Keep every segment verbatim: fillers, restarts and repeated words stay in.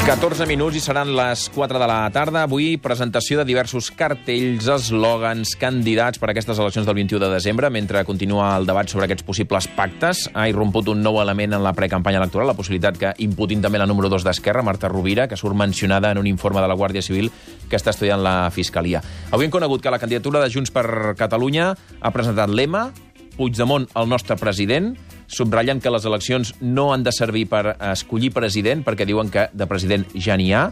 catorze minuts i seran les quatre de la tarda. Avui, presentació de diversos cartells, eslògans, candidats per a aquestes eleccions del vint-i-u de desembre. Mentre continua el debat sobre aquests possibles pactes, ha irromput un nou element en la precampanya electoral, la possibilitat que imputin també la número dos d'Esquerra, Marta Rovira, que surt mencionada en un informe de la Guàrdia Civil que està estudiant la Fiscalia. Avui hem conegut que la candidatura de Junts per Catalunya ha presentat lema Puigdemont, el nostre president, subratllant que les eleccions no han de servir per escollir president, perquè diuen que de president ja n'hi ha.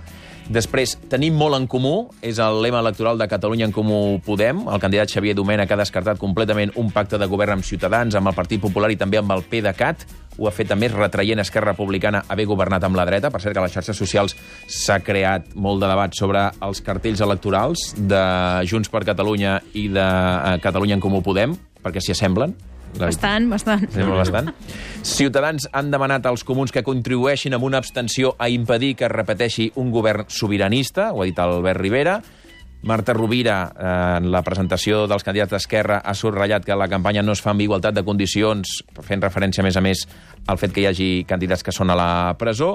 Després, tenim molt en comú, és el lema electoral de Catalunya en Comú Podem. El candidat Xavier Domènech ha descartat completament un pacte de govern amb Ciutadans, amb el Partit Popular i també amb el PDeCAT. Ho ha fet també retraient Esquerra Republicana haver governat amb la dreta. Per cert, que a les xarxes socials s'ha creat molt de debat sobre els cartells electorals de Junts per Catalunya i de Catalunya en Comú Podem, perquè s'hi assemblen. Bastant, bastant. bastant. Ciutadans han demanat als comuns que contribueixin amb una abstenció a impedir que es repeteixi un govern sobiranista, ho ha dit Albert Rivera. Marta Rovira, en la presentació dels candidats d'Esquerra, ha subratllat que la campanya no es fa amb igualtat de condicions, fent referència, a més a més, al fet que hi hagi candidats que són a la presó,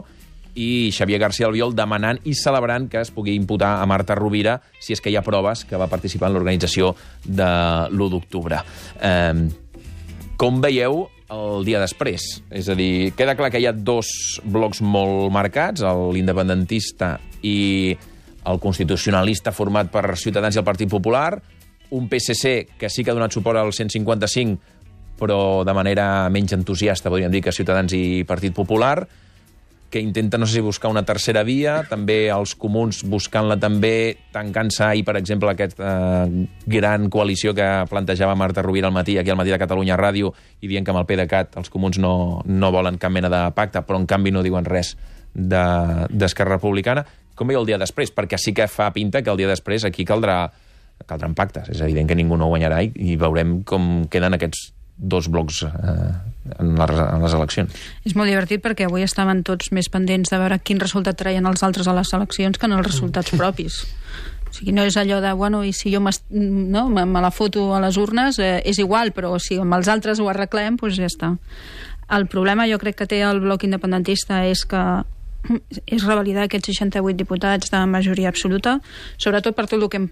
i Xavier García Albiol demanant i celebrant que es pugui imputar a Marta Rovira si és que hi ha proves que va participar en l'organització de l'u d'octubre. Eh, com veieu el dia després? És a dir, queda clar que hi ha dos blocs molt marcats, l'independentista i el constitucionalista format per Ciutadans i el Partit Popular, un P S C que sí que ha donat suport al cent cinquanta-cinc, però de manera menys entusiasta, podríem dir, que Ciutadans i Partit Popular, que intenta, no sé si buscar una tercera via, també els comuns buscant-la també, tancant-se ahir, per exemple, aquesta eh, gran coalició que plantejava Marta Rovira al matí, aquí al Matí de Catalunya Ràdio, i dient que amb el PDeCAT els comuns no, no volen cap mena de pacte, però en canvi no diuen res d'Esquerra Republicana. Com veieu el dia després? Perquè sí que fa pinta que el dia després aquí caldrà, caldran pactes. És evident que ningú no guanyarà i, i veurem com queden aquests dos blocs eh, en, la, en les eleccions. És molt divertit perquè avui estaven tots més pendents de veure quin resultat traien els altres a les eleccions que en els resultats propis. O sigui, no és allò de, bueno, i si jo no, me, me la foto a les urnes, eh, és igual, però si amb els altres ho arreglem, doncs ja està. El problema jo crec que té el bloc independentista és que és revalidar aquests seixanta-vuit diputats de majoria absoluta, sobretot per tot el que hem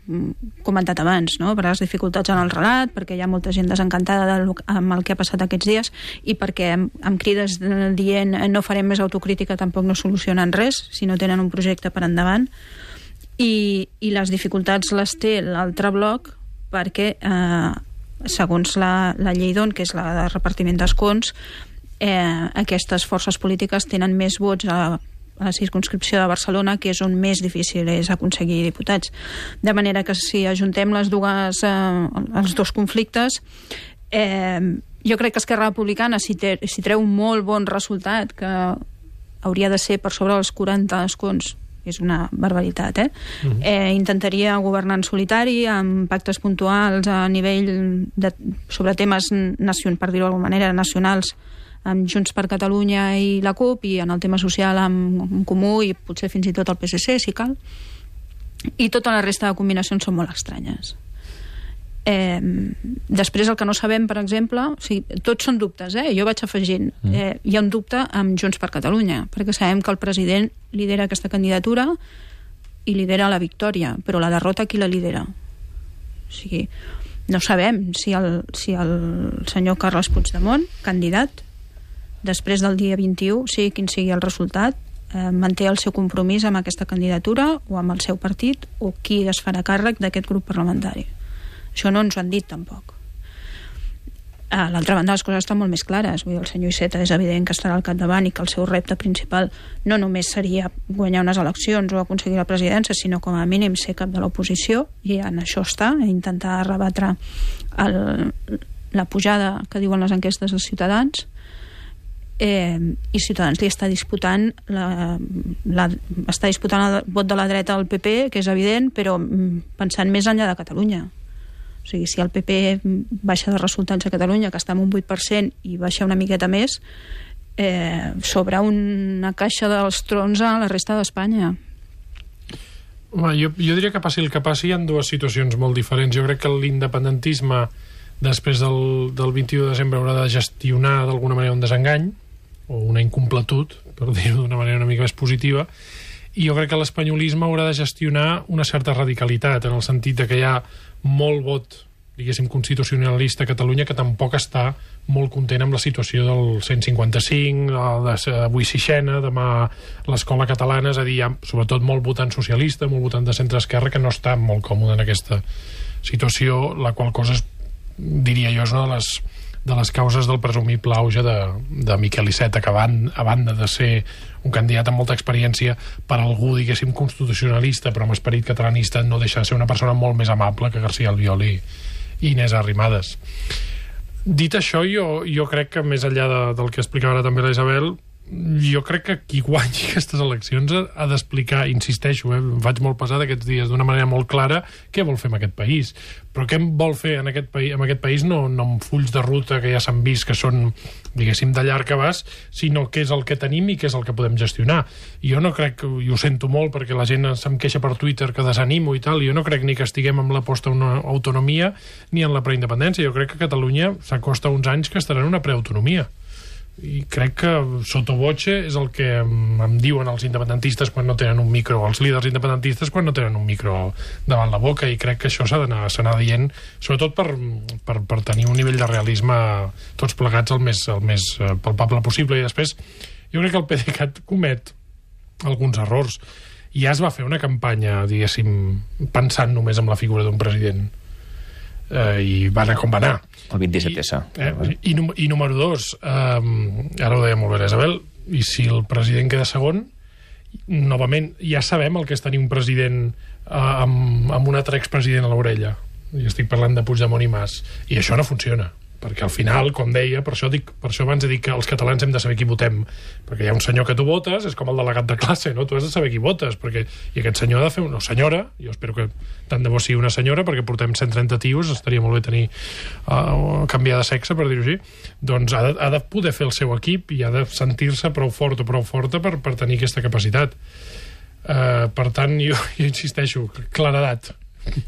comentat abans, no? Per les dificultats en el relat, perquè hi ha molta gent desencantada del, amb el que ha passat aquests dies i perquè amb, amb crides dient no farem més autocrítica tampoc no solucionen res si no tenen un projecte per endavant. I, i les dificultats les té l'altre bloc perquè eh, segons la, la llei d'On, que és la de repartiment d'escons, eh, aquestes forces polítiques tenen més vots a a la circumscripció de Barcelona, que és on més difícil és aconseguir diputats. De manera que si ajuntem les dues, eh, els dos conflictes, eh, jo crec que Esquerra Republicana, si, té, si treu un molt bon resultat, que hauria de ser per sobre dels quaranta escons, és una barbaritat, eh? Uh-huh. eh intentaria governar en solitari, amb pactes puntuals a nivell de, sobre temes, nacion, per dir-ho d'alguna manera, nacionals, amb Junts per Catalunya i la CUP, i en el tema social amb, amb Comú i potser fins i tot el P S C, si cal. I tota la resta de combinacions són molt estranyes. Eh, després, el que no sabem, per exemple, o sigui, tots són dubtes, eh? Jo vaig afegint. Eh, hi ha un dubte amb Junts per Catalunya, perquè sabem que el president lidera aquesta candidatura i lidera la victòria, però la derrota qui la lidera? O sigui, no sabem si el, si el senyor Carles Puigdemont, candidat, després del dia vint-i-u, sigui quin sigui el resultat, eh, manté el seu compromís amb aquesta candidatura o amb el seu partit, o qui es farà càrrec d'aquest grup parlamentari. Això no ens ho han dit tampoc. A l'altra banda, les coses estan molt més clares. Vull dir, el senyor Iceta és evident que estarà al capdavant i que el seu repte principal no només seria guanyar unes eleccions o aconseguir la presidència, sinó com a mínim ser cap de l'oposició, i en això està, intentar rebatre el, la pujada que diuen les enquestes dels Ciutadans. Eh, i Ciutadans li està disputant la, la, està disputant el vot de la dreta al P P, que és evident, però pensant més enllà de Catalunya. O sigui, si el P P baixa de resultats a Catalunya, que està en un vuit per cent, i baixa una miqueta més, eh, sobre una caixa dels trons a la resta d'Espanya. Home, jo, jo diria que passi el que passi, hi ha dues situacions molt diferents. Jo crec que l'independentisme després del, del vint-i-u de desembre haurà de gestionar d'alguna manera un desengany o una incompletud, per dir-ho d'una manera una mica més positiva, i jo crec que l'espanyolisme haurà de gestionar una certa radicalitat, en el sentit de que hi ha molt vot, diguéssim, constitucionalista a Catalunya, que tampoc està molt content amb la situació del cent cinquanta cinc, avui sixena, demà l'escola catalana, és a dir, hi ha sobretot molt votant socialista, molt votant de centre-esquerra, que no està molt còmode en aquesta situació, la qual cosa, és, diria jo, és una de les, de les causes del presumible auge de, de Miquel Iceta, que van, a banda de ser un candidat amb molta experiència, per algú, diguéssim, constitucionalista, però amb esperit catalanista, no deixa de ser una persona molt més amable que García Albiol i, i Inés Arrimadas. Dit això, jo, jo crec que més enllà de, del que explicava ara també la Isabel, jo crec que qui guanyi aquestes eleccions ha, ha d'explicar, insisteixo, eh, em faig molt pesat aquests dies, d'una manera molt clara, què vol fer amb aquest país. Però què vol fer en aquest, país, en aquest país no, no amb fulls de ruta que ja s'han vist que són, diguéssim, de llarg abast, sinó què és el que tenim i què és el que podem gestionar. I jo no crec, i ho sento molt perquè la gent se'm queixa per Twitter que desanimo i tal, i jo no crec ni que estiguem amb l'aposta a una autonomia ni en la preindependència. Jo crec que Catalunya s'acosta uns anys que estarà en una preautonomia. I crec que sotto voce és el que em diuen els independentistes quan no tenen un micro, els líders independentistes quan no tenen un micro davant la boca, i crec que això s'ha d'anar s'anar dient, sobretot per, per, per tenir un nivell de realisme tots plegats el més, el més palpable possible. I després jo crec que el PDeCAT comet alguns errors. Ja es va fer una campanya, diguéssim, pensant només en la figura d'un president, eh, i va anar com va anar. El vint-i-set essa. I, eh, i, i número dos, eh, ara ho deia molt bé Isabel, i si el president queda segon, novament, ja sabem el que és tenir un president eh, amb, amb un altre expresident a l'orella. I estic parlant de Puigdemont i Mas. I això no funciona. Perquè al final, com deia, per això, dic, per això abans he dit que els catalans hem de saber qui votem, perquè hi ha un senyor que tu votes, és com el delegat de classe, no? Tu has de saber qui votes, perquè, i aquest senyor ha de fer una senyora, jo espero que tant de bo sigui una senyora, perquè portem cent trenta tios, estaria molt bé tenir uh, canviar de sexe, per dir-ho així, doncs ha de, ha de poder fer el seu equip i ha de sentir-se prou fort o prou forta per, per tenir aquesta capacitat. Uh, per tant, jo, jo insisteixo, claredat.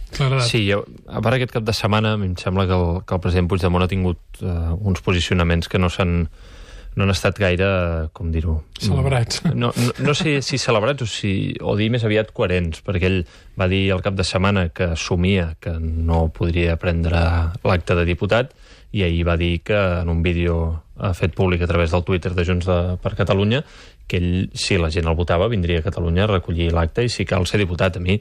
Claredat. Sí, jo, a part aquest cap de setmana em sembla que el, que el president Puigdemont ha tingut uh, uns posicionaments que no s'han no han estat gaire, com dir-ho... Celebrats. No, no, no sé si celebrats o, si, o dir més aviat coherents, perquè ell va dir al cap de setmana que assumia que no podria prendre l'acte de diputat, i ahir va dir que en un vídeo ha fet públic a través del Twitter de Junts de, per Catalunya, que ell, si la gent el votava, vindria a Catalunya a recollir l'acte, i si cal ser diputat. A mi,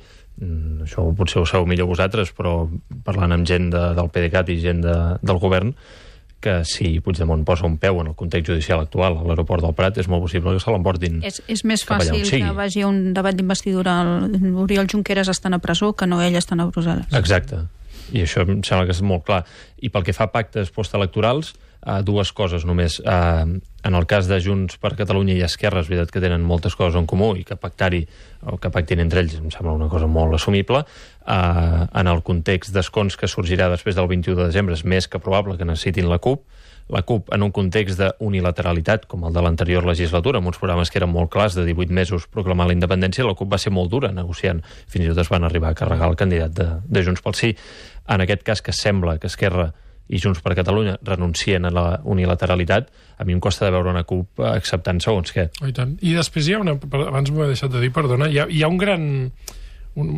això potser ho sabeu millor vosaltres, però parlant amb gent de, del PDeCAT i gent de, del govern, que si Puigdemont posa un peu en el context judicial actual a l'aeroport del Prat, és molt possible que se l'emportin. És, és més fàcil que vagi a un debat d'investidura. Oriol Junqueras estan a presó que no ell estan a Brussel·les. Exacte. I això em sembla que és molt clar. I pel que fa a pactes postelectorals, uh, dues coses només. Uh, en el cas de Junts per Catalunya i Esquerra, és veritat que tenen moltes coses en comú i que pactar-hi, o que pactin entre ells, em sembla una cosa molt assumible. Uh, en el context d'escons que sorgirà després del vint-i-u de desembre, és més que probable que necessitin la CUP. La CUP, en un context d'unilateralitat, com el de l'anterior legislatura, amb uns programes que eren molt clars, de divuit mesos proclamar la independència, la CUP va ser molt dura negociant. Fins i tot es van arribar a carregar el candidat de, de Junts pel Sí. En aquest cas, que sembla que Esquerra i Junts per Catalunya renuncien a la unilateralitat, a mi em costa de veure una CUP acceptant segons què. Oh, i tant. I després hi ha una... Abans m'ho he deixat de dir, perdona, hi ha, hi ha un gran... Un,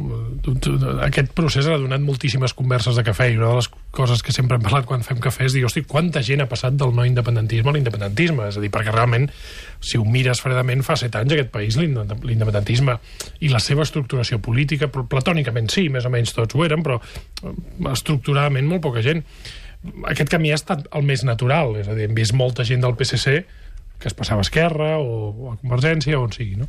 aquest procés ha donat moltíssimes converses de cafè, i una de les coses que sempre hem parlat quan fem cafè és dir, hosti, quanta gent ha passat del no independentisme a l'independentisme, és a dir, perquè realment, si ho mires fredament, fa set anys aquest país l'independentisme i la seva estructuració política, platònicament sí, més o menys tots ho eren, però estructuradament molt poca gent. Aquest camí ha estat el més natural, és a dir, hem vist molta gent del P S C que es passava a Esquerra o, o a Convergència o on sigui, no?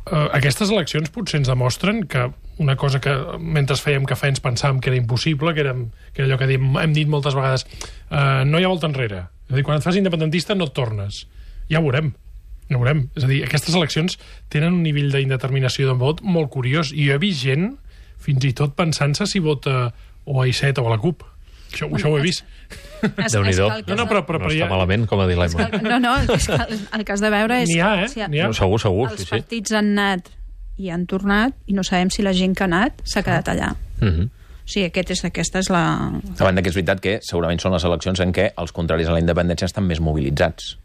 Uh, aquestes eleccions potser ens demostren que una cosa que mentre fèiem cafè ens pensàvem que era impossible, que, érem, que era allò que hem, hem dit moltes vegades, uh, no hi ha volta enrere. És a dir, quan et fas independentista no et tornes. Ja ho veurem. Ja ho veurem. És a dir, aquestes eleccions tenen un nivell d'indeterminació de vot molt curiós, i jo he vist gent fins i tot pensant-se si vota o a Iceta o a la CUP. Això, això ho he vist. Déu-n'hi-do. No, no, però, però, no però està ja... malament com a dilema. No, no, el que, el que has de veure és... N'hi ha, eh? Si ha... N'hi ha. No, segur, segur. Els sí, sí. partits han anat i han tornat, i no sabem si la gent que ha anat s'ha quedat allà. Mm-hmm. O sigui, aquest és, aquesta és la... A banda que és veritat que segurament són les eleccions en què els contraris a la independència estan més mobilitzats.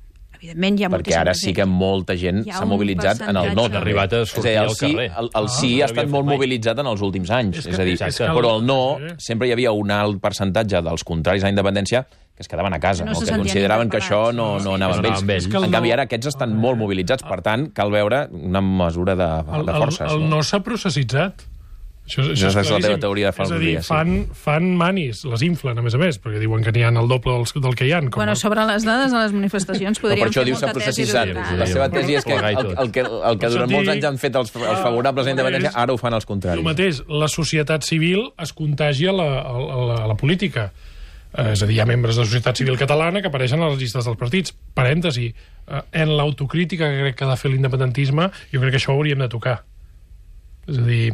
evidentment hi ha perquè ara sí que molta gent s'ha mobilitzat en el no. Ha arribat a sortir al carrer. El, el sí ha estat molt mobilitzat en els últims anys. És, que, és a dir, exacte. Però el no, sempre hi havia un alt percentatge dels contraris a la independència que es quedaven a casa, no, no? Que consideraven que això no, no anava amb ells. Amb ells. En canvi, ara aquests estan molt mobilitzats, per tant, cal veure una mesura de, de forces. El, el, el no s'ha processitzat. Això, això és, és la teva teoria de fa uns dies. És a dir, fan, sí. fan manis, les inflen, a més a més, perquè diuen que n'hi ha el doble del, del que hi ha. Com bueno, el... sobre les dades de les manifestacions podríem no, per això fer diu molta tesi. La seva tesi és que el, el que, el que durant molts anys han fet els, els favorables a la independència, ara ho fan els contraris. El mateix, la societat civil es contagia a la, a la, a la política. És a dir, hi ha membres de la societat civil catalana que apareixen a les llistes dels partits. Parèntesi, en l'autocrítica que crec que ha de fer l'independentisme, jo crec que això ho hauríem de tocar. És a dir,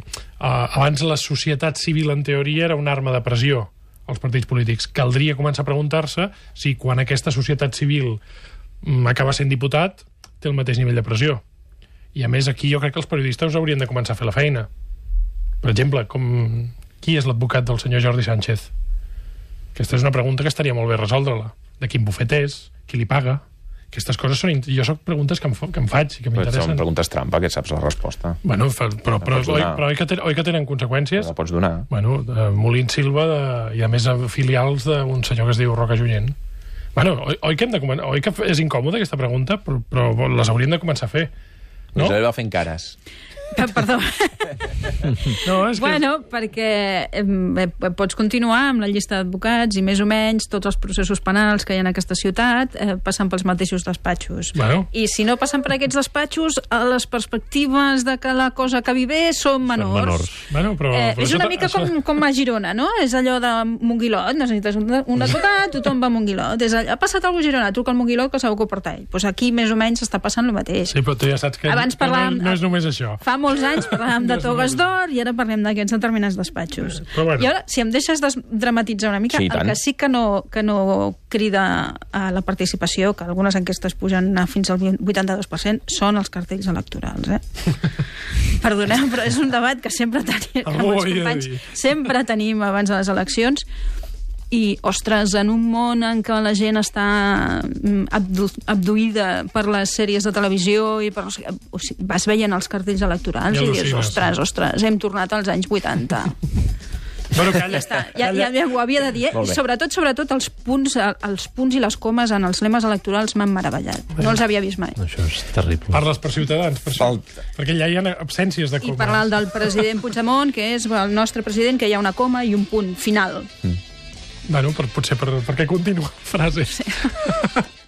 abans la societat civil, en teoria, era una arma de pressió als partits polítics. Caldria començar a preguntar-se si quan aquesta societat civil acaba sent diputat té el mateix nivell de pressió. I, a més, aquí jo crec que els periodistes haurien de començar a fer la feina. Per exemple, com... qui és l'advocat del senyor Jordi Sánchez? Aquesta és una pregunta que estaria molt bé resoldre-la. De quin bufet és? Qui li paga? Aquestes coses són... Jo soc preguntes que em, que em faig i que m'interessen. Són preguntes trampa, que saps la resposta. Bueno, però, però, oi, però oi, que ten, oi que tenen conseqüències? La pots donar. Bueno, de Molins Silva de, i, a més, filials d'un senyor que es diu Roca Junyent. Bueno, oi, oi, que hem de, oi que és incòmoda aquesta pregunta, però, però les hauríem de començar a fer. No? Us va fent cares. Perdó. No, és que... Bueno, perquè eh, pots continuar amb la llista d'advocats i més o menys tots els processos penals que hi ha en aquesta ciutat eh, passen pels mateixos despatxos. Bueno. I si no passen per aquests despatxos, les perspectives de que la cosa acabi bé són menors. Són menors. Bueno, però, eh, però és una això, mica això... com, com a Girona, no? És allò de Monguilot, necessites un, un advocat, tothom va a Monguilot. És allò, ha passat alguna cosa a Girona, truca al Monguilot que segur que ho porta ell. Pues aquí més o menys està passant el mateix. Sí, però tu ja saps que, Abans que parlàvem, no, no és només això. Fa molts anys parlàvem de togues d'or i ara parlem d'aquests determinats despatxos. Bueno. I ara, si em deixes dramatitzar una mica, sí, el que sí que no, que no crida a la participació, que algunes enquestes pugen a fins al vuitanta-dos per cent, són els cartells electorals. Eh? Perdoneu, però és un debat que sempre tenim amb els companys, sempre tenim abans de les eleccions. I, ostres, en un món en què la gent està abdu abduïda per les sèries de televisió i per... O sigui, vas veient els cartells electorals ja i dius, ostres, ostres, hem tornat als anys vuitanta. Bueno, calla, ja, està, ja, ja, ja ho havia de dir, i sobretot, sobretot els punts, els punts i les comes en els lemes electorals m'han meravellat. No els havia vist mai. Això és terrible. Parles per Ciutadans, per això. Perquè allà hi ha absències de comes. I parlar del president Puigdemont, que és el nostre president, que hi ha una coma i un punt final. Mm. Bueno, per, potser per, perquè continua la frase. Sí.